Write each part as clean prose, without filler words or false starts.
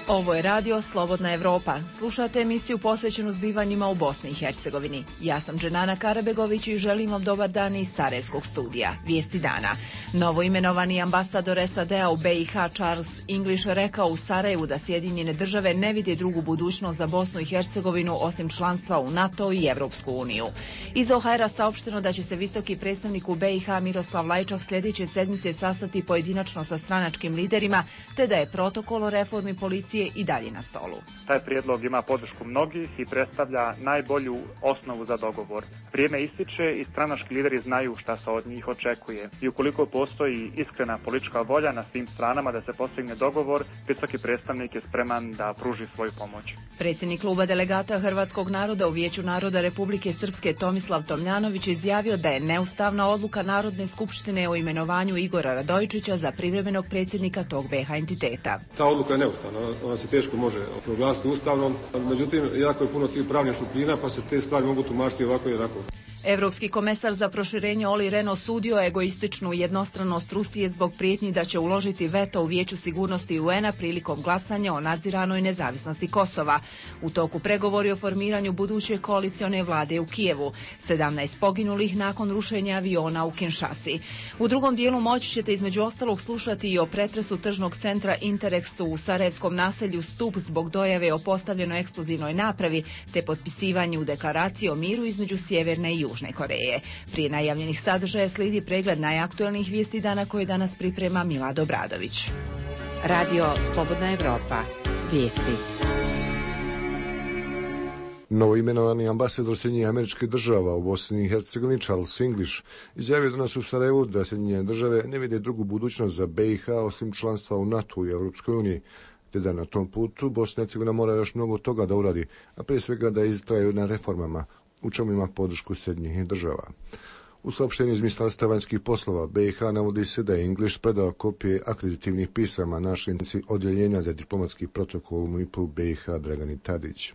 Ovo je radio Slobodna Evropa. Slušate emisiju posvećenu zbivanjima u Bosni i Hercegovini. Ja sam Dženana Karabegović i želim vam dobar dan iz Sarajevskog studija. Vijesti dana. Novoimenovani ambasador SAD-a u BiH Charles English rekao u Sarajevu da Sjedinjene države ne vide drugu budućnost za Bosnu i Hercegovinu osim članstva u NATO i Evropsku uniju. Iz OHR-a saopšteno da će se visoki predstavnik u BiH Miroslav Lajčak sljedeće sedmice sastati pojedinačno sa stranačkim liderima, te da je protokol o reformi policije i dalje na stolu. Taj prijedlog ima podršku mnogih i predstavlja najbolju osnovu za dogovor. Vrijeme ističe i stranački lideri znaju šta se od njih očekuje. I ukoliko postoji iskrena politička volja na svim stranama da se postigne dogovor, visoki predstavnik je spreman da pruži svoju pomoć. Predsjednik kluba delegata Hrvatskog naroda u Vijeću naroda Republike Srpske Tomislav Tomljanović izjavio da je neustavna odluka Narodne skupštine o imenovanju Igora Radojičića za privremenog predsjednika tog BiH entiteta. Ta odluka je neustavna, ona se teško može proglasiti ustavnom, međutim jako je puno tih pravnih šupljina pa se te stvari mogu tumačiti ovako i onako. Evropski komesar za proširenje Olli Rehn osudio egoističnu jednostranost Rusije zbog prijetnji da će uložiti veto u Vijeću sigurnosti UN-a prilikom glasanja o nadziranoj nezavisnosti Kosova. U toku pregovori o formiranju buduće koalicione vlade u Kijevu. 17 poginulih nakon rušenja aviona u Kinshasi. U drugom dijelu moći ćete između ostalog slušati i o pretresu tržnog centra Interexu u sarajevskom naselju Stup zbog dojave o postavljenoj eksplozivnoj napravi te potpisivanju deklaracije o miru između Sjeverne i Južne Koreje. Prije najavljenih sadržaja slijedi pregled najaktuelnijih vijesti dana koje danas priprema Milad Obradović. Radio Slobodna Evropa. Vijesti. Novoimenovani ambasador Sjedinjenih Američkih Država u Bosni i Hercegovini Charles English izjavio danas u Sarajevu da Sjedinjene Države ne vide drugu budućnost za BiH osim članstva u NATO i Europskoj uniji, te da na tom putu Bosna i Hercegovina mora još mnogo toga da uradi, a prije svega da istraju na reformama, u čemu ima podršku Sjedinjenih Država. U saopštenju iz Ministarstva vanjskih poslova BiH navodi se da je English predao kopije akreditivnih pisama načelnici odjeljenja za diplomatski protokol u MIP-u BiH Dragani Tadić.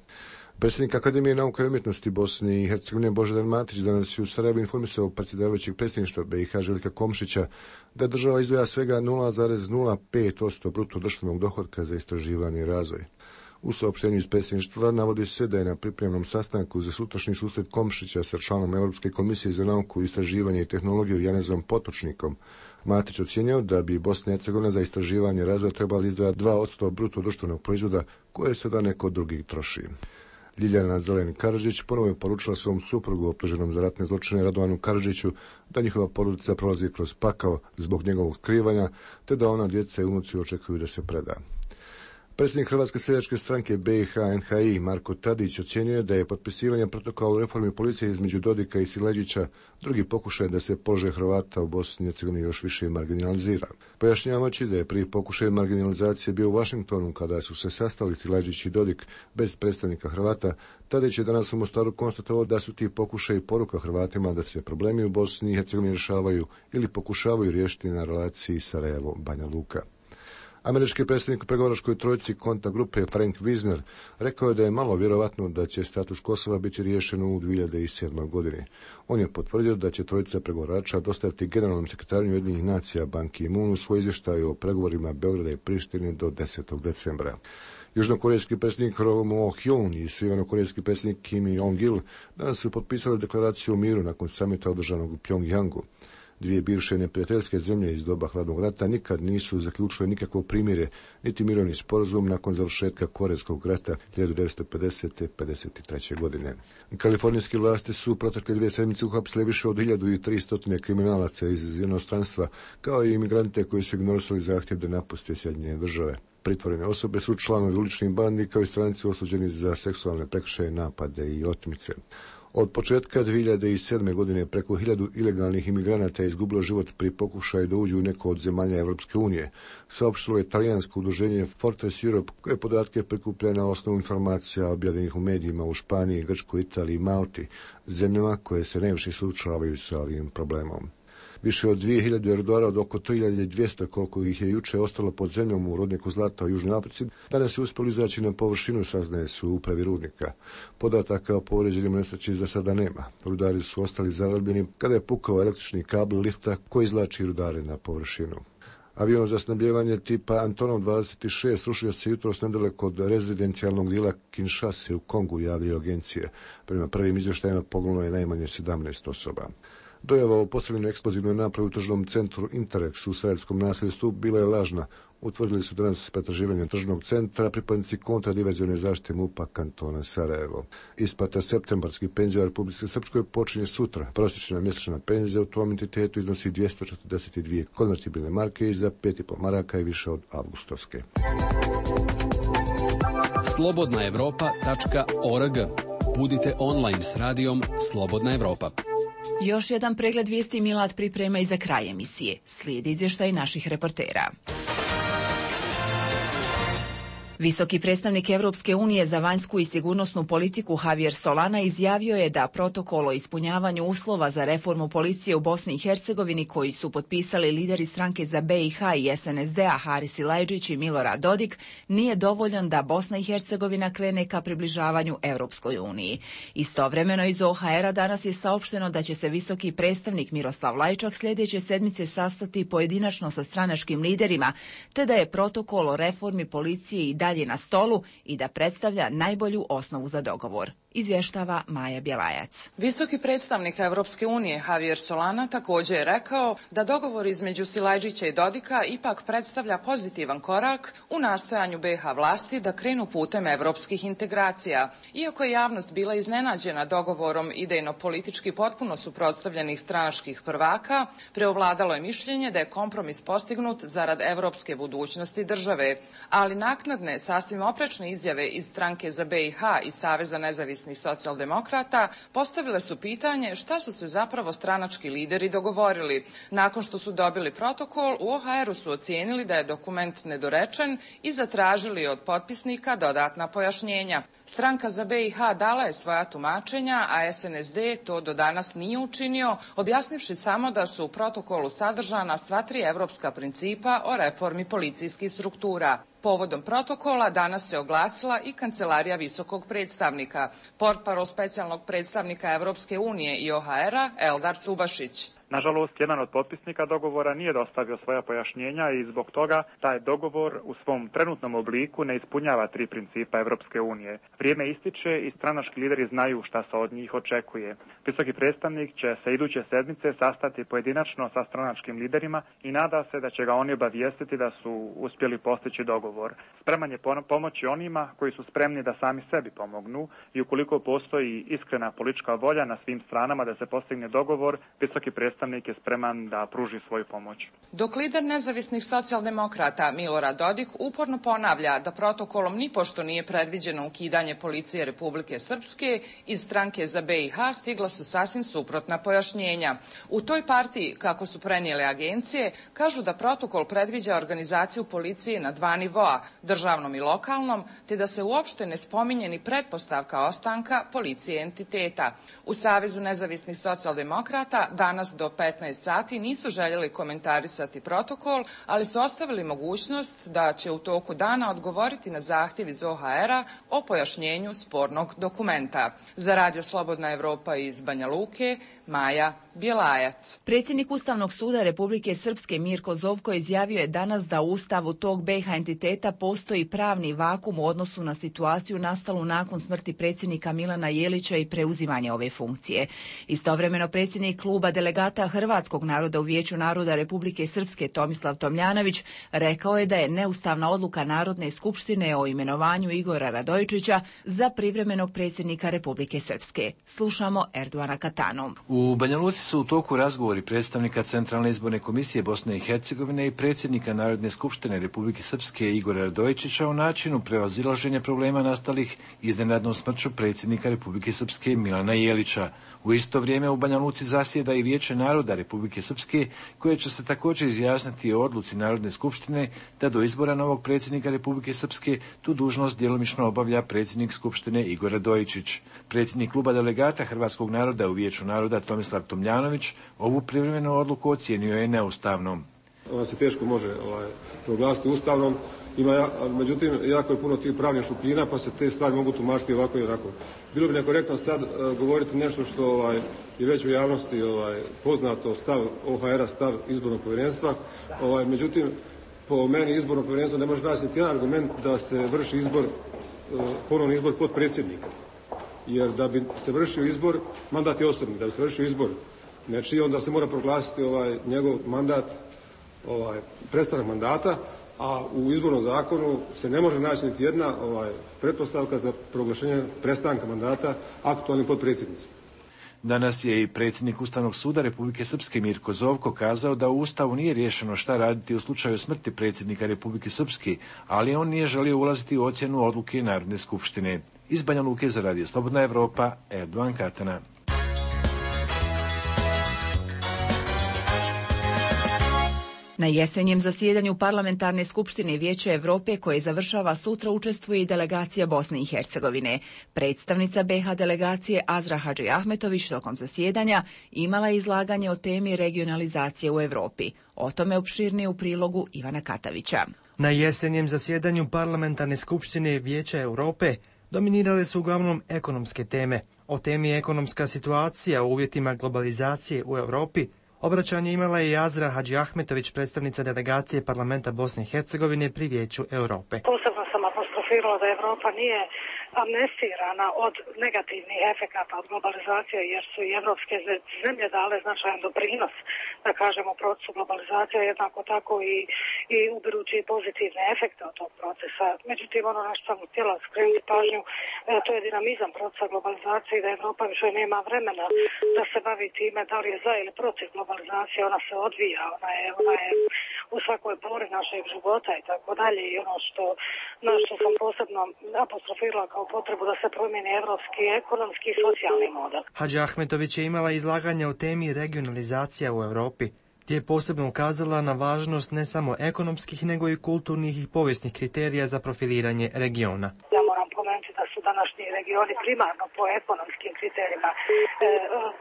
Predsjednik Akademije nauka i umjetnosti Bosne i Hercegovine Božidar Matić danas je u Sarajevu informisao predsjedavajućeg predsjedništva BiH Željka Komšića da država izdvaja svega 0,05% bruto društvenog dohotka za istraživanje i razvoj. U saopštenju iz predsjedništva navodi se da je na pripremnom sastanku za sutrašnji susret Komšića sa članom Europske komisije za nauku, istraživanje i tehnologiju Janezom Potočnikom Matić ocjenio da bi Bosna i Hercegovina za istraživanje i razvoj trebala izdvajati 2% bruto društvenog proizvoda koje sada neko drugi troši. Ljiljana Zelen Karadžić ponovo je poručila svom suprugu optuženom za ratne zločine Radovanu Karadžiću da njihova porodica prolazi kroz pakao zbog njegovog skrivanja, te da ona, djeca i unuci očekuju da se preda. Predsjednik Hrvatske seljačke stranke BiH NHI Marko Tadić ocjenjuje da je potpisivanje protokola o reformi policije između Dodika i Sileđića drugi pokušaj da se položaj Hrvata u Bosni i Hercegovini još više marginalizira. Pojašnjavajući da je prvi pokušaj marginalizacije bio u Vašingtonu kada su se sastali Sileđić i Dodik bez predstavnika Hrvata, Tadić je danas u Mostaru konstatovao da su ti pokušaji poruka Hrvatima da se problemi u Bosni i Hercegovini rješavaju ili pokušavaju riješiti na relaciji Sarajevo-Banja Luka. Američki predsjednik u pregovaračkoj trojici konta grupe Frank Wisner rekao je da je malo vjerovatno da će status Kosova biti riješen u 2007. godini. On je potvrdio da će trojica pregovarača dostaviti generalnom sekretaru Ujedinjenih nacija Ban Ki-moonu svoj izvještaj o pregovorima Beograda i Prištine do 10. decembra. Južnokorejski predsjednik Roh Moo-hyun i sjevernokorejski predsjednik Kim Jong-il danas su potpisali deklaraciju o miru nakon samita održanog u Pjongjangu. Dvije bivše neprijateljske zemlje iz doba hladnog rata nikad nisu zaključile nikakvo primirje, niti mirovni sporazum nakon završetka Korejskog rata 1950-53. godine. Kalifornijske vlasti su protekle 2 sedmice uhapsile više od 1300 kriminalaca iz inostranstva, kao i imigrante koji su ignorisali zahtjev da napuste Sjedinjene Države. Pritvorene osobe su članovi uličnih bandi kao i stranci osuđeni za seksualne prekršaje, napade i otmice. Od početka 2007. godine preko 1000 ilegalnih imigranata je izgubilo život pri pokušaju da uđu u neko od zemalja Evropske unije. Saopštilo je talijansko udruženje Fortress Europe koje podatke prikuplja na osnovu informacija objavljenih u medijima u Španiji, Grčkoj, Italiji i Malti, zemljama koje se najviše suočavaju sa ovim problemom. Više od 2000 rudara od oko 3200 koliko ih je juče ostalo pod zemljom u rudniku zlata u Južnoj Africi, danas je uspjelo izaći na površinu, saznaje su u upravi rudnika. Podataka o povrijeđenim nesreći za sada nema. Rudari su ostali zarobljeni kada je pukao električni kabel lifta koji izvlači rudare na površinu. Avion za snabljevanje tipa Antonov 26 srušio se jutros nedaleko od rezidencijalnog dijela Kinshase u Kongu, javljaju agencije. Prema prvim izvještajima poginulo je najmanje 17 osoba. Dojava o postavljenoj eksplozivnoj napravi u tržnom centru Interex u sarajevskom naseljstvu bila je lažna. Utvrdili su danas pretraživanje tržnog centra pripadnici kontradiverzione zaštite MUP-a kantona Sarajevo. Isplata septembarskih penzija u Republici Srpskoj počinje sutra. Prosječna mjesečna penzija u tom entitetu iznosi 242 konvertibilne marke i za 5,5 maraka i više od avgustovske. Slobodnaevropa.org. Budite online s radijom Slobodna Evropa. Još jedan pregled vijesti Milad priprema i za kraj emisije. Slijedi izvještaj naših reportera. Visoki predstavnik Europske unije za vanjsku i sigurnosnu politiku Javier Solana izjavio je da protokol o ispunjavanju uslova za reformu policije u Bosni i Hercegovini koji su potpisali lideri stranke za BiH i SNSD-a Haris Silajdžić i Milorad Dodik nije dovoljan da Bosna i Hercegovina krene ka približavanju Europskoj uniji. Istovremeno iz OHR-a danas je saopšteno da će se visoki predstavnik Miroslav Lajčak sljedeće sedmice sastati pojedinačno sa stranačkim liderima, te da je protokol o reformi policije i dalje na stolu i da predstavlja najbolju osnovu za dogovor. Izvještava Maja Bjelajac. Visoki predstavnik Europske unije Javier Solana također je rekao da dogovor između Silajdžića i Dodika ipak predstavlja pozitivan korak u nastojanju BiH vlasti da krenu putem europskih integracija. Iako je javnost bila iznenađena dogovorom idejno-politički potpuno suprotstavljenih stranačkih prvaka, preovladalo je mišljenje da je kompromis postignut zarad europske budućnosti države, ali naknadne sasvim oprečne izjave iz stranke za BiH i Saveza nezavisnih socijaldemokrata postavile su pitanje šta su se zapravo stranački lideri dogovorili. Nakon što su dobili protokol, u OHR-u su ocijenili da je dokument nedorečen i zatražili od potpisnika dodatna pojašnjenja. Stranka za BiH dala je svoja tumačenja, a SNSD to do danas nije učinio, objasnivši samo da su u protokolu sadržana sva tri evropska principa o reformi policijskih struktura. Povodom protokola danas se oglasila i Kancelarija visokog predstavnika. Portparol specijalnog predstavnika Evropske unije i OHR-a Eldar Cubašić. Nažalost, jedan od potpisnika dogovora nije dostavio svoja pojašnjenja i zbog toga taj dogovor u svom trenutnom obliku ne ispunjava tri principa Evropske unije. Vrijeme ističe i stranački lideri znaju šta se od njih očekuje. Visoki predstavnik će se iduće sedmice sastati pojedinačno sa stranačkim liderima i nada se da će ga oni obavijestiti da su uspjeli postići dogovor. Spreman je pomoći onima koji su spremni da sami sebi pomognu i ukoliko postoji iskrena politička volja na svim stranama da se postigne dogovor, visoki predstavnik je spreman da pruži svoju pomoć. Dok lider nezavisnih socijaldemokrata Milorad Dodik uporno ponavlja da protokolom nipošto nije predviđeno ukidanje policije Republike Srpske, iz stranke za BiH stigla su sasvim suprotna pojašnjenja. U toj partiji, kako su prenijele agencije, kažu da protokol predviđa organizaciju policije na dva nivoa, državnom i lokalnom, te da se uopšte ne spominje ni pretpostavka ostanka policije entiteta. U Savezu nezavisnih socijaldemokrata danas do 15 sati nisu željeli komentarisati protokol, ali su ostavili mogućnost da će u toku dana odgovoriti na zahtjev iz OHR-a o pojašnjenju spornog dokumenta. Za Radio Slobodna Evropa iz Banja Luke, Maja Bjelajac. Predsjednik Ustavnog suda Republike Srpske Mirko Zovko izjavio je danas da u ustavu tog BiH entiteta postoji pravni vakum u odnosu na situaciju nastalu nakon smrti predsjednika Milana Jelića i preuzimanja ove funkcije. Istovremeno predsjednik kluba delegata Hrvatskog naroda u Vijeću naroda Republike Srpske Tomislav Tomljanović rekao je da je neustavna odluka Narodne skupštine o imenovanju Igora Radojičića za privremenog predsjednika Republike Srpske. Slušamo Erduana Katanu. U Banja Luci su u toku razgovori predstavnika Centralne izborne komisije Bosne i Hercegovine i predsjednika Narodne skupštine Republike Srpske Igora Radojičića o načinu prevazilaženja problema nastalih iznenadnom smrću predsjednika Republike Srpske Milana Jelića. U isto vrijeme u Banja Luci zasjeda i Vijeće naroda Republike Srpske, koje će se također izjasniti o odluci Narodne skupštine da do izbora novog predsjednika Republike Srpske tu dužnost djelomično obavlja predsjednik skupštine Igor Radojičić. Predsjednik kluba delegata Hrvatskog naroda u Vijeću naroda Tomislav Tomljanović ovu privremenu odluku ocijenio je neustavnom. Ona se teško može proglasiti ustavnom Međutim, jako je puno tih pravnih šupljina, pa se te stvari mogu tumačiti ovako i onako. Bilo bi nekorektno sad govoriti nešto što je već u javnosti poznato, stav OHR-a, stav izbornog povjerenstva. Međutim, po meni izborno povjerenstvo ne može naći niti jedan argument da se vrši izbor, ponovni izbor potpredsjednika. Jer da bi se vršio izbor, mandat je osobni, da bi se vršio izbor nečiji, onda se mora proglasiti njegov mandat, prestanak mandata, a u izbornom zakonu se ne može naći niti jedna pretpostavka za proglašenje prestanka mandata aktualnim potpredsjednicima. Danas je i predsjednik Ustavnog suda Republike Srpske Mirko Zovko kazao da u Ustavu nije riješeno šta raditi u slučaju smrti predsjednika Republike Srpske, ali on nije želio ulaziti u ocjenu odluke Narodne skupštine. Iz Banja Luke za Radio Slobodna Evropa, Erdovan Katana. Na jesenjem zasjedanju Parlamentarne skupštine Vijeća Europe koje završava sutra učestvuje i delegacija Bosne i Hercegovine. Predstavnica BiH delegacije Azra Hadžiahmetović tokom zasjedanja imala je izlaganje o temi regionalizacije u Europi. O tome opširnije u prilogu Ivana Katavića. Na jesenjem zasjedanju Parlamentarne skupštine Vijeća Europe dominirale su uglavnom ekonomske teme. O temi ekonomska situacija u uvjetima globalizacije u Europi obraćanje imala je i Azra Hadžiahmetović, predstavnica delegacije Parlamenta Bosne i Hercegovine pri Vijeću Europe. Posebno sam apostrofirala da Europa nije amnestirana od negativnih efekata od globalizacije, jer su i evropske zemlje dale značajan doprinos, da kažemo, procesu globalizacije, jednako tako i ubirući pozitivne efekte od tog procesa. Međutim, ono na što sam htjela skrenuti pažnju, to je dinamizam procesa globalizacije i da Europa više nema vremena da se bavi time da li je za ili protiv globalizacije. Ona se odvija, ona je u svakoj pori našeg života i tako dalje. I ono na što sam posebno apostrofirala kao potrebu da se promijeni evropski, ekonomski i socijalni model. Hadžiahmetović je imala izlaganje o temi regionalizacija u Europi, gdje je posebno ukazala na važnost ne samo ekonomskih, nego i kulturnih i povijesnih kriterija za profiliranje regiona. Ja moram pomenuti da su današnji regioni primarno po ekonomskim kriterijima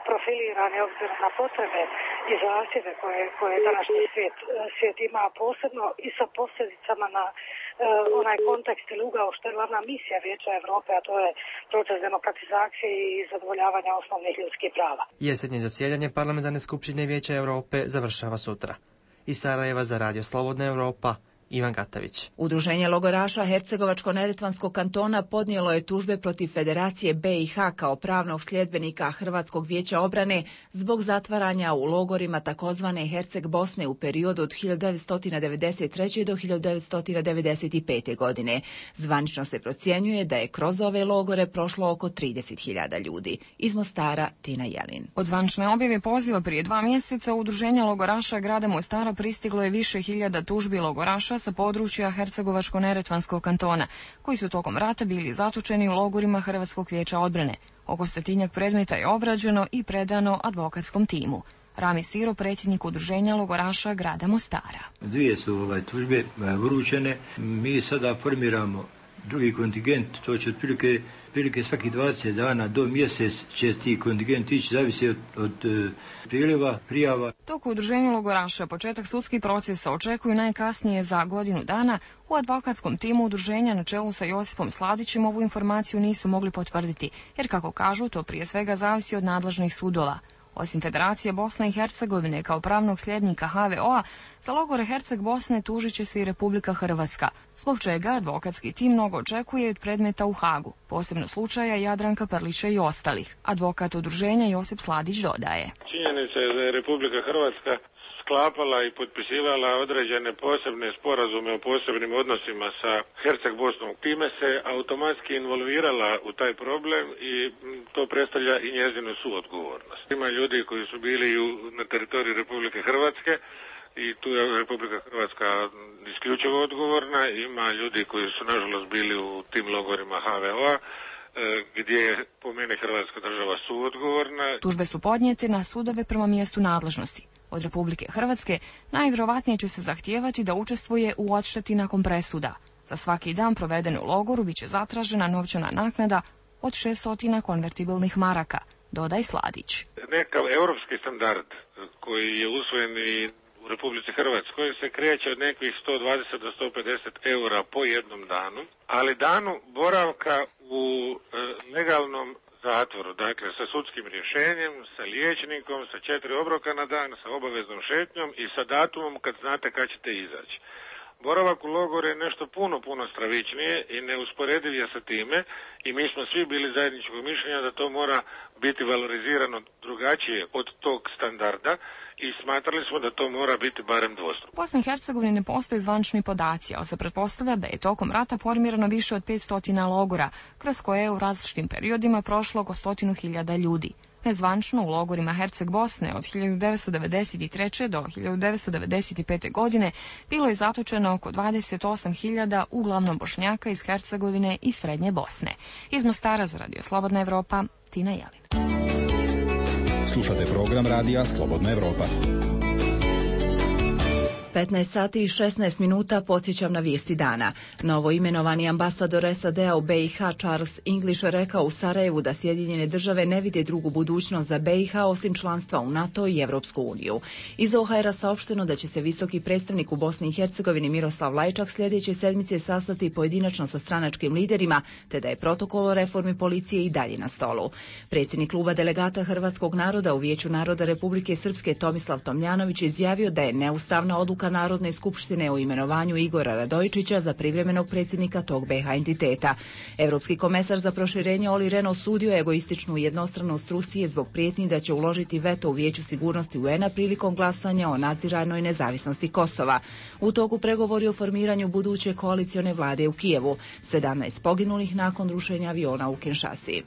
profilirani obzirom na potrebe i zahtjeve koje današnji svijet ima, posebno i sa posljedicama na onaj kontekst ili ugao što je glavna misija Vijeća Europe, a to je proces demokratizacije i zadovoljavanja osnovnih ljudskih prava. Jesenje zasjedanje Parlamentarne skupštine Vijeća Europe završava sutra. Iz Sarajeva za Radio Slobodna Evropa, Ivan Gatavić. Udruženje logoraša Hercegovačko-neretvanskog kantona podnijelo je tužbe protiv Federacije BiH kao pravnog sljedbenika Hrvatskog vijeća obrane zbog zatvaranja u logorima takozvane Herceg Bosne u periodu od 1993. do 1995. godine. Zvanično se procjenjuje da je kroz ove logore prošlo oko 30.000 ljudi. Iz Mostara, Tina Jelin. Od zvanične objave poziva prije 2 mjeseca Udruženje logoraša grada Mostara pristiglo je više hiljada tužbi logoraša sa područja Hercegovačko-neretvanskog kantona, koji su tokom rata bili zatočeni u logorima Hrvatskog vijeća odbrane. Oko 100 predmeta je obrađeno i predano advokatskom timu. Rami Stiro, predsjednik Udruženja logoraša grada Mostara. 2 su tužbe vrućene. Mi sada formiramo drugi kontingent, to će otprilike svaki 20 dana do mjesec će ti kontingent ići, zavisi od priljeva, prijava. Dok u Udruženju logoraša početak sudskih procesa očekuju najkasnije za godinu dana, u advokatskom timu udruženja na čelu sa Josipom Sladićem ovu informaciju nisu mogli potvrditi, jer kako kažu, to prije svega zavisi od nadležnih sudova. Osim Federacije Bosne i Hercegovine kao pravnog sljednika HVO-a, za logore Herceg Bosne tužit će se i Republika Hrvatska, zbog čega advokatski tim mnogo očekuje od predmeta u Hagu, posebno slučaja Jadranka Prlića i ostalih. Advokat udruženja Josip Sladić dodaje. Činjenica je da je Republika Hrvatska sklapala i potpisivala određene posebne sporazume o posebnim odnosima sa Herceg Bosnom. Time se automatski involvirala u taj problem i to predstavlja i njezinu suodgovornost. Ima ljudi koji su bili na teritoriju Republike Hrvatske i tu je Republika Hrvatska isključivo odgovorna. Ima ljudi koji su nažalost bili u tim logorima HVO-a gdje je po meni Hrvatska država suodgovorna. Tužbe su podnijete na sudove prema mjestu nadležnosti. Od Republike Hrvatske najvjerovatnije će se zahtijevati da učestvuje u odšteti nakon presuda. Za svaki dan proveden u logoru biće zatražena novčana naknada od 600 konvertibilnih maraka, dodaj Sladić. Nekav europski standard koji je usvojen i u Republici Hrvatskoj se kreće od nekih 120 do 150 eura po jednom danu, ali danu boravka u legalnom zatvoru, dakle sa sudskim rješenjem, sa liječnikom, sa 4 obroka na dan, sa obaveznom šetnjom i sa datumom kad znate kad ćete izaći. Boravak u logoru je nešto puno stravičnije i neusporediv je sa time i mi smo svi bili zajedničkog mišljenja da to mora biti valorizirano drugačije od tog standarda i smatrali smo da to mora biti barem dvostruko. U Bosni i Hercegovini ne postoje zvanični podaci, ali se pretpostavlja da je tokom rata formirano više od 500 logora, kroz koje je u različitim periodima prošlo oko 100.000 ljudi. Nezvančno u logorima Herceg Bosne od 1993. do 1995. godine bilo je zatočeno oko 28.000 uglavnom Bošnjaka iz Hercegovine i Srednje Bosne. Iz Mostara za Radio Slobodna Evropa, Tina Jelin. Slušate program Radija Slobodna Evropa. 15 sati i 16 minuta podsjećam na vijesti dana. Novo imenovani ambasador SAD-a u BiH Charles English rekao u Sarajevu da Sjedinjene države ne vide drugu budućnost za BiH osim članstva u NATO i Evropsku uniju. Iz OHR-a saopšteno da će se visoki predstavnik u Bosni i Hercegovini Miroslav Lajčak sljedeće sedmice sastati pojedinačno sa stranačkim liderima, te da je protokol o reformi policije i dalje na stolu. Predsjednik kluba delegata Hrvatskog naroda u Vijeću naroda Republike Srpske Tomislav Tomljanović izjavio da je neustavna odluka Narodne skupštine o imenovanju Igora Radojičića za privremenog predsjednika tog BiH entiteta. Europski komesar za proširenje Olli Rehn osudio je egoističnu jednostranost Rusije zbog prijetnji da će uložiti veto u Vijeću sigurnosti UN-a prilikom glasanja o nadziranoj nezavisnosti Kosova. U toku pregovori o formiranju buduće koalicione vlade u Kijevu. 17 poginulih nakon rušenja aviona u Kinshasi.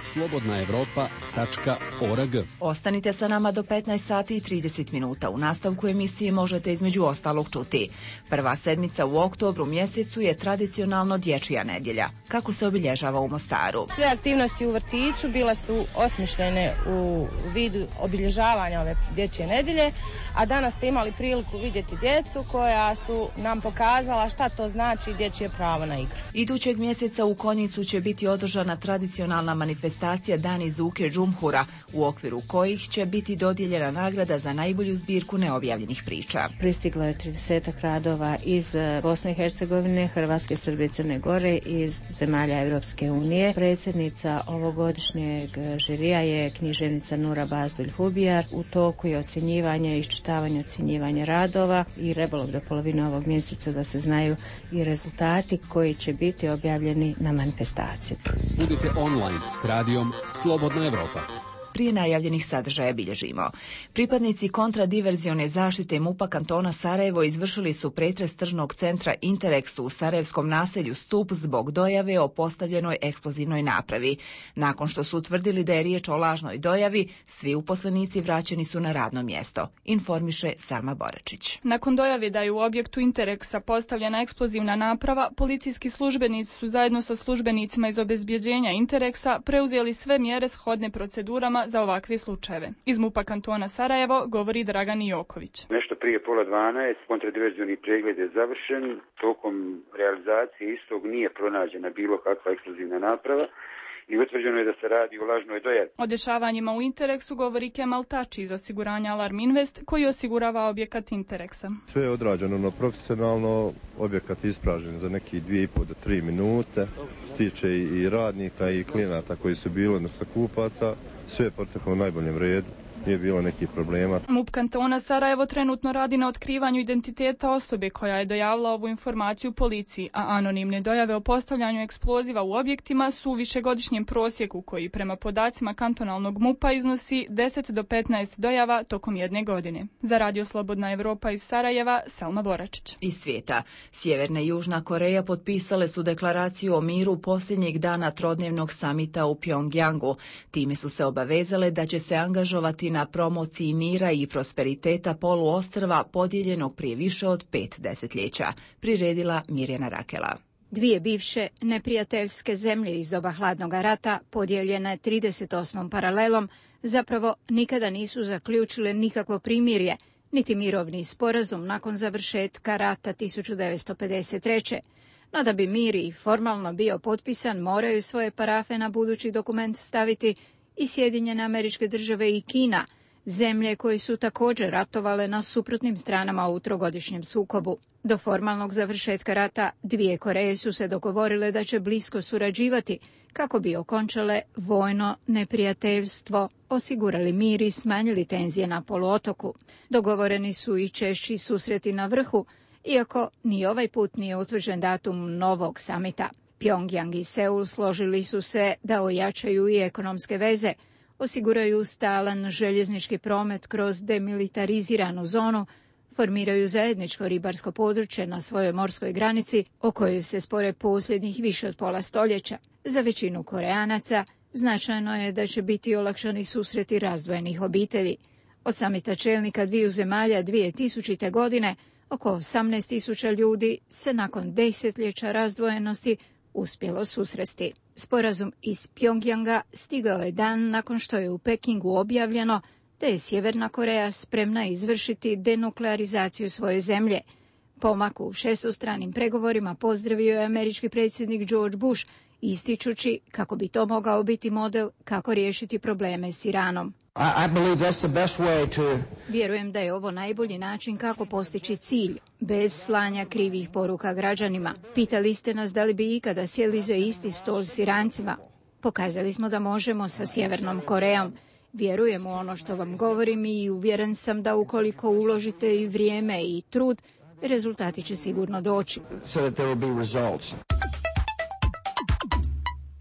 slobodnaevropa.org. Ostanite sa nama do 15 sati i 30 minuta. U nastavku emisije možete između ostalog čuti. Prva sedmica u oktobru mjesecu je tradicionalno dječja nedjelja. Kako se obilježava u Mostaru? Sve aktivnosti u vrtiću bile su osmišljene u vidu obilježavanja ove dječje nedjelje, a danas ste imali priliku vidjeti djecu koja su nam pokazala šta to znači dječje pravo na igru. Idućeg mjeseca u Konjicu će biti održana tradicionalna manifestacija Dani Zuke Džumhura, u okviru kojih će biti dodijeljena nagrada za najbolju zbirku neobjavljenih priča. Pristiglo je 30 radova iz Bosne i Hercegovine, Hrvatske, Srbije, Crne Gore i iz zemalja Europske unije. Predsjednica ovogodišnjeg žirija je književnica Nura Bazdulj-Hubijar. U toku je ocjenjivanje, iščitavanje, ocjenjivanje radova i trebalo do polovine ovog mjeseca da se znaju i rezultati koji će biti objavljeni na manifestaciji. Budite online s radijom Slobodna Evropa. Prije najavljenih sadržaja bilježimo. Pripadnici kontradiverzione zaštite MUP-a kantona Sarajevo izvršili su pretres tržnog centra Interexu u sarajevskom naselju Stup zbog dojave o postavljenoj eksplozivnoj napravi. Nakon što su utvrdili da je riječ o lažnoj dojavi, svi uposlenici vraćeni su na radno mjesto, informiše Salma Boračić. Nakon dojave da je u objektu Interexa postavljena eksplozivna naprava, policijski službenici su zajedno sa službenicima iz obezbjeđenja Interexa preuzeli sve mjere shodne procedurama za ovakve slučajeve. Iz MUP-a kantona Sarajevo govori Dragan Joković. Nešto prije 11:30 kontradiverzioni pregled je završen. Tokom realizacije istog nije pronađena bilo kakva eksplozivna naprava i utvrđeno je da se radi o lažnoj dojavi. O dešavanjima u Interexu govori Kemal Tači iz osiguranja Alarm Invest, koji osigurava objekat Interexa. Sve je odrađeno profesionalno, objekat ispražen za neki 2,5 do 3 minute. Stiče i radnika i klijenata koji su bili, odnosno kupaca. Sve je proteklo u najboljem redu. Nije bilo nekih problema. MUP kantona Sarajevo trenutno radi na otkrivanju identiteta osobe koja je dojavila ovu informaciju policiji, a anonimne dojave o postavljanju eksploziva u objektima su u višegodišnjem prosjeku koji prema podacima kantonalnog MUP-a iznosi 10 do 15 dojava tokom jedne godine. Za Radio Slobodna Evropa iz Sarajeva, Selma Boračić. Iz svijeta. Sjeverna i Južna Koreja potpisale su deklaraciju o miru posljednjeg dana trodnevnog samita u Pjongjangu. Time su se obavezale da će se angažovati na promociji mira i prosperiteta poluostrva podijeljenog prije više od 5 desetljeća, priredila Mirjana Rakela. Dvije bivše neprijateljske zemlje iz doba hladnog rata, podijeljene 38. paralelom, zapravo nikada nisu zaključile nikakvo primirje, niti mirovni sporazum nakon završetka rata 1953. No da bi mir i formalno bio potpisan, moraju svoje parafe na budući dokument staviti i Sjedinjene Američke Države i Kina, zemlje koje su također ratovale na suprotnim stranama u trogodišnjem sukobu. Do formalnog završetka rata dvije Koreje su se dogovorile da će blisko surađivati kako bi okončale vojno neprijateljstvo, osigurali mir i smanjili tenzije na poluotoku. Dogovoreni su i češći susreti na vrhu, iako ni ovaj put nije utvrđen datum novog samita. Pjongjang i Seul složili su se da ojačaju i ekonomske veze, osiguraju stalan željeznički promet kroz demilitariziranu zonu, formiraju zajedničko ribarsko područje na svojoj morskoj granici o kojoj se spore posljednjih više od pola stoljeća. Za većinu Koreanaca značajno je da će biti olakšani susreti razdvojenih obitelji. Od samita čelnika dviju zemalja 2000. godine oko 18.000 ljudi se nakon desetljeća razdvojenosti uspjelo susresti. Sporazum iz Pjongjanga stigao je dan nakon što je u Pekingu objavljeno da je Sjeverna Koreja spremna izvršiti denuklearizaciju svoje zemlje. Pomak u šestostranim pregovorima pozdravio je američki predsjednik George Bush, ističući kako bi to mogao biti model kako riješiti probleme s Iranom. Vjerujem da je ovo najbolji način kako postići cilj, bez slanja krivih poruka građanima. Pitali ste nas da li bi ikada sjeli za isti stol s Irancima. Pokazali smo da možemo sa Sjevernom Korejom. Vjerujem u ono što vam govorim i uvjeren sam da ukoliko uložite i vrijeme i trud, rezultati će sigurno doći.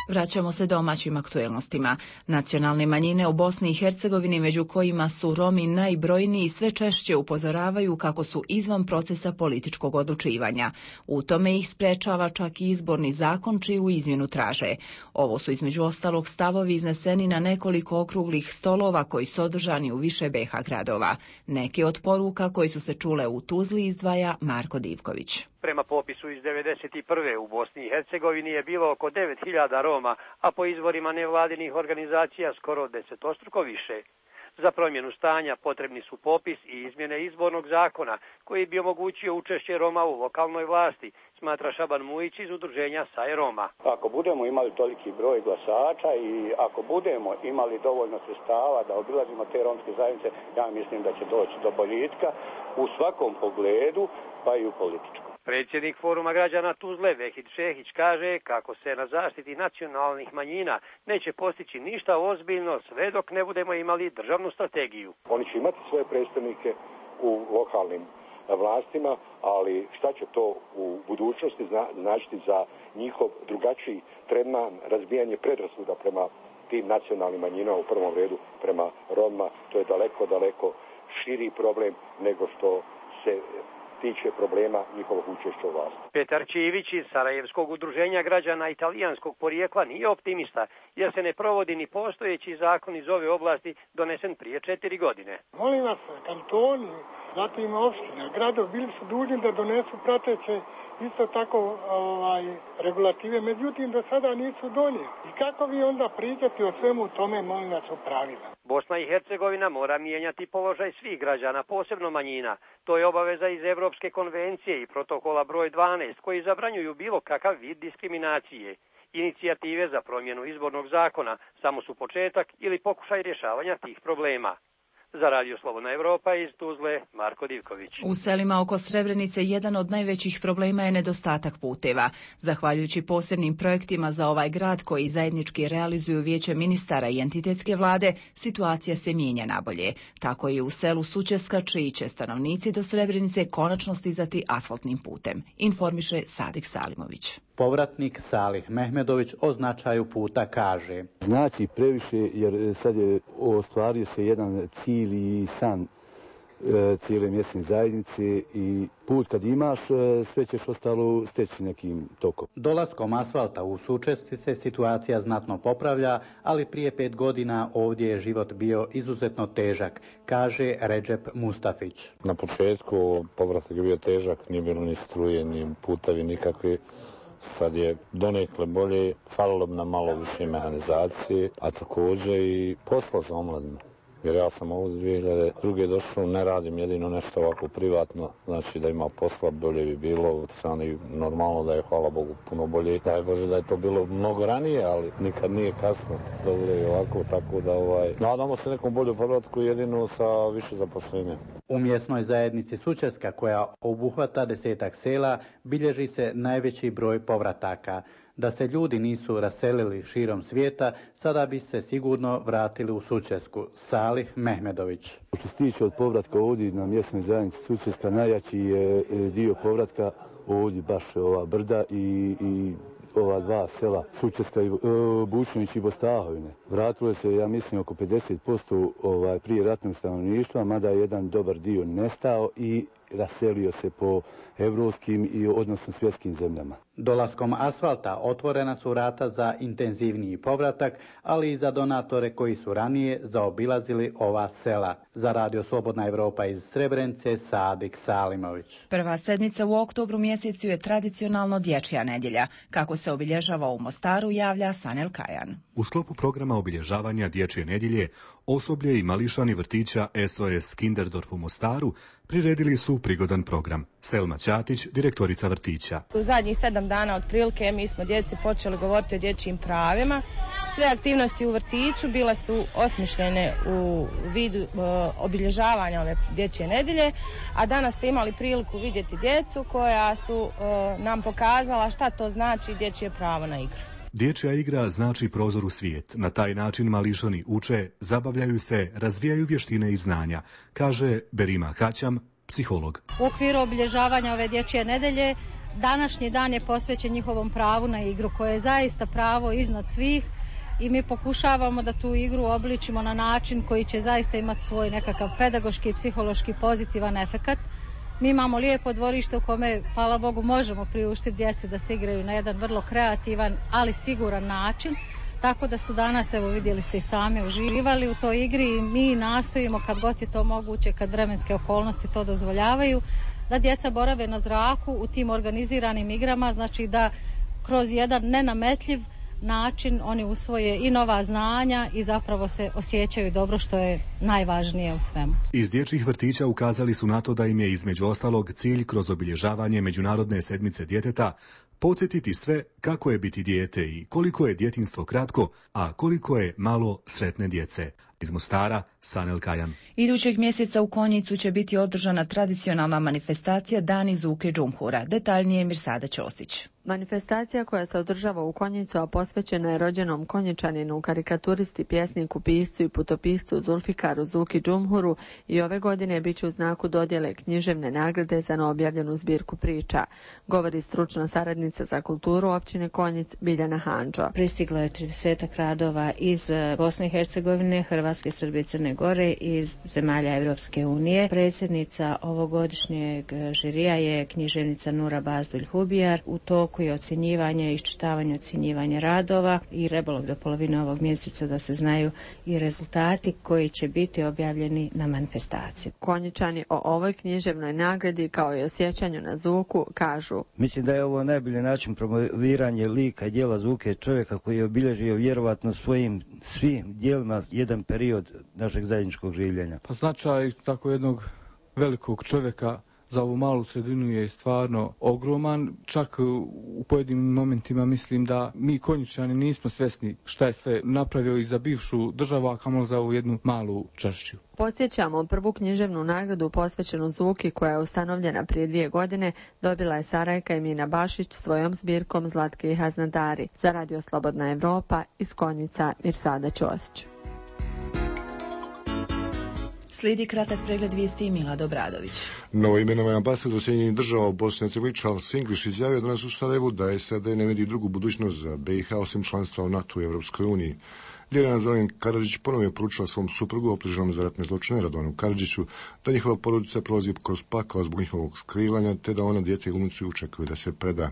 Vraćamo se domaćim aktuelnostima. Nacionalne manjine u Bosni i Hercegovini, među kojima su Romi najbrojniji, sve češće upozoravaju kako su izvan procesa političkog odlučivanja. U tome ih sprečava čak i izborni zakon čiju izmjenu traže. Ovo su između ostalog stavovi izneseni na nekoliko okruglih stolova koji su održani u više BiH gradova. Neke od poruka koji su se čule u Tuzli izdvaja Marko Divković. Prema popisu iz 1991. u Bosni i Hercegovini je bilo oko 9.000 Roma, a po izvorima nevladinih organizacija skoro 10-struko više. Za promjenu stanja potrebni su popis i izmjene izbornog zakona koji bi omogućio učešće Roma u lokalnoj vlasti, smatra Šaban Mujić iz udruženja Saj Roma. Ako budemo imali toliki broj glasača i ako budemo imali dovoljno sredstava da obilazimo te romske zajednice, ja mislim da će doći do boljitka u svakom pogledu, pa i u političkom. Predsjednik Foruma građana Tuzle Vehid Šehić kaže kako se na zaštiti nacionalnih manjina neće postići ništa ozbiljno sve dok ne budemo imali državnu strategiju. Oni će imati svoje predstavnike u lokalnim vlastima, ali šta će to u budućnosti značiti za njihov drugačiji tretman, razbijanje predrasuda prema tim nacionalnim manjinama, u prvom redu prema Romima. To je daleko širi problem nego što se tiče problema njihovog učešća u vlasti. Petar Čivić iz Sarajevskog udruženja građana italijanskog porijekla nije optimista, jer se ne provodi ni postojeći zakon iz ove oblasti donesen prije 4 godine. Molim vas, kantoni, zatim opština, gradovi bili su dužni da donesu prateće isto tako regulative, međutim do sada nisu donijeli. I kako vi onda pričati o svemu tome, molim vas, o pravima? Bosna i Hercegovina mora mijenjati položaj svih građana, posebno manjina. To je obaveza iz Evropske konvencije i protokola broj 12, koji zabranjuju bilo kakav vid diskriminacije. Inicijative za promjenu izbornog zakona samo su početak ili pokušaj rješavanja tih problema. Za Radio Slobodna Evropa iz Tuzle, Marko Divković. U selima oko Srebrenice jedan od najvećih problema je nedostatak puteva. Zahvaljujući posebnim projektima za ovaj grad koji zajednički realizuju Vijeće ministara i entitetske vlade, situacija se mijenja nabolje. Tako je u selu Sučeska, čiji će stanovnici do Srebrenice konačno stizati asfaltnim putem, informiše Sadik Salimović. Povratnik Salih Mehmedović o značaju puta kaže: Znači previše, jer sad je ostvario se jedan cilj i san cijele mjesne zajednice i put kad imaš, sve ćeš ostalo steći nekim tokom. Dolaskom asfalta u Sučesci se situacija znatno popravlja, ali prije 5 godina ovdje je život bio izuzetno težak, kaže Redžep Mustafić. Na početku povratak je bio težak, nije bilo ni struje, ni putevi nikakvi. Sad je donekle bolje, falilo bi nam malo više mehanizacije, a također i posla za omladinu. Jer ja sam ovdje 2002. došao, ne radim jedino nešto ovako privatno, znači da ima posla, bolje bi bilo, strani normalno da je, hvala Bogu, puno bolje. Daj Bože da je to bilo mnogo ranije, ali nikad nije kasno da bude ovako, tako da nadamo se nekom bolju povratku jedino sa više zaposlenja. U mjesnoj zajednici Sučeska, koja obuhvata 10-ak sela, bilježi se najveći broj povrataka. Da se ljudi nisu raselili širom svijeta, sada bi se sigurno vratili u Sučesku. Salih Mehmedović. Što se tiče od povratka ovdje na mjesnoj zajednici Sučeska, najjači je dio povratka ovdje baš ova brda i ova dva sela, Sučeska i Bučnović i Bostahovine. Vratilo se, ja mislim, oko 50% prije ratnog stanovništva, mada je jedan dobar dio nestao i raselio se po evropskim i odnosno svjetskim zemljama. Dolaskom asfalta otvorena su vrata za intenzivniji povratak, ali i za donatore koji su ranije zaobilazili ova sela. Za Radio Slobodna Evropa iz Srebrenice, Sadik Salimović. Prva sedmica u oktobru mjesecu je tradicionalno dječja nedjelja. Kako se obilježava u Mostaru, javlja Sanel Kajan. U sklopu programa obilježavanja dječje nedjelje, osoblje i mališani vrtića SOS Kinderdorf u Mostaru priredili su prigodan program. Selma Ćatić, direktorica vrtića. U zadnjih 7 dana otprilike mi smo djeci počeli govoriti o dječjim pravima. Sve aktivnosti u vrtiću bile su osmišljene u vidu obilježavanja ove dječje nedjelje, a danas ste imali priliku vidjeti djecu koja su nam pokazala šta to znači dječje pravo na igru. Dječja igra znači prozor u svijet. Na taj način mališani uče, zabavljaju se, razvijaju vještine i znanja, kaže Berima Haćam, psiholog. U okviru obilježavanja ove dječje nedjelje današnji dan je posvećen njihovom pravu na igru, koje je zaista pravo iznad svih i mi pokušavamo da tu igru obličimo na način koji će zaista imati svoj nekakav pedagoški i psihološki pozitivan efekat. Mi imamo lijepo dvorište u kome, hvala Bogu, možemo priuštiti djeci da se igraju na jedan vrlo kreativan, ali siguran način. Tako da su danas, evo vidjeli ste i sami, uživali u toj igri i mi nastojimo kad god je to moguće, kad vremenske okolnosti to dozvoljavaju, da djeca borave na zraku u tim organiziranim igrama, znači da kroz jedan nenametljiv način oni usvoje i nova znanja i zapravo se osjećaju dobro, što je najvažnije u svemu. Iz dječjih vrtića ukazali su na to da im je između ostalog cilj kroz obilježavanje Međunarodne sedmice djeteta podsjetiti sve kako je biti dijete i koliko je djetinjstvo kratko, a koliko je malo sretne djece. Iz Mostara, Sanel Kajan. Idućeg mjeseca u Konjicu će biti održana tradicionalna manifestacija Dani Zuke Džumhura. Detaljnije Mirsada Ćosić. Manifestacija koja se održava u Konjicu, a posvećena je rođenom Konjičaninu, karikaturisti, pjesniku, piscu i putopiscu Zulfikaru Zuki Džumhuru, i ove godine bit će u znaku dodjele književne nagrade za neobjavljenu zbirku priča, govori stručna saradnica za kulturu općine Konjic Biljana Handžo. Pristiglo je 30 radova iz Bosne i Hercegovine, Hrvatske, Srbije, Crne Gore i iz zemalja Evropske unije. Predsjednica ovogodišnjeg žirija je književnica Nura Bazdulj Hubijar. U toku je ocjenjivanje i iščitavanje ocjenjivanja radova i trebalo do polovine ovog mjeseca da se znaju i rezultati koji će biti objavljeni na manifestaciji. Konjičani o ovoj književnoj nagradi kao i o sjećanju na Zuku kažu: Mislim da je ovo najbolji način promoviranje lika i djela Zuke, čovjeka koji je obilježio vjerovatno svojim svim djelima jedan period našeg zajedničkog življenja. Pa značaj tako jednog velikog čovjeka za ovu malu sredinu je stvarno ogroman. Čak u pojedinim momentima mislim da mi Konjičani nismo svjesni šta je sve napravio i za bivšu državu, a kamoli za ovu jednu malu čašću. Podsjećamo, prvu književnu nagradu posvećenu Zuki, koja je ustanovljena prije 2 godine, dobila je Sarajka Emina Bašić svojom zbirkom Zlatke i Haznadari. Za Radio Slobodna Evropa iz Konjica, Mirsada Ćosić. Slijedi kratak pregled vijesti Milad Obradović. Novoimenovani ambasador Sjedinjenih država u Bosni i Hercegovini Charles English izjavio danas u Sarajevu da SAD ne vidi drugu budućnost za BiH osim članstva u NATO i Evropskoj uniji. Ljiljana Zelen Karadžić ponovno je poručila svom suprugu optuženom za ratne zločine Radovanu Karadžiću da njihova porodica prolazi kroz pakao zbog njihovog skrivanja, te da ona, djeca i unuci očekuju da se preda.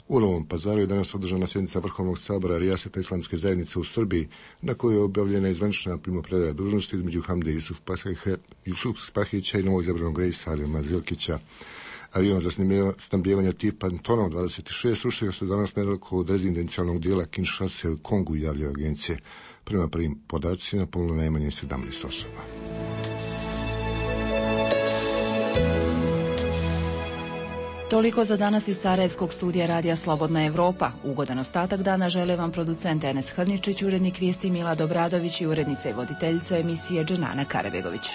U Novom Pazaru je danas održana sjednica Vrhovnog sabora Rijaseta Islamske zajednice u Srbiji, na kojoj je objavljena izvanična primopredaja dužnosti između Hamde Jusuf Spahića i novog izabranog Rejsa Alima Zilkića. Avion za snabdijevanje tipa Antonov 26 srušio se danas nedaleko od rezidencijalnog dijela Kinshase u Kongu, javljaju agencije. Prema prvim podacima poginulo najmanje 17 osoba. Toliko za danas iz Sarajevskog studija Radija Slobodna Evropa. Ugodan ostatak dana žele vam producent Enes Hrničić, urednik vijesti Mila Dobradović i urednica i voditeljica emisije Dženana Karabegović.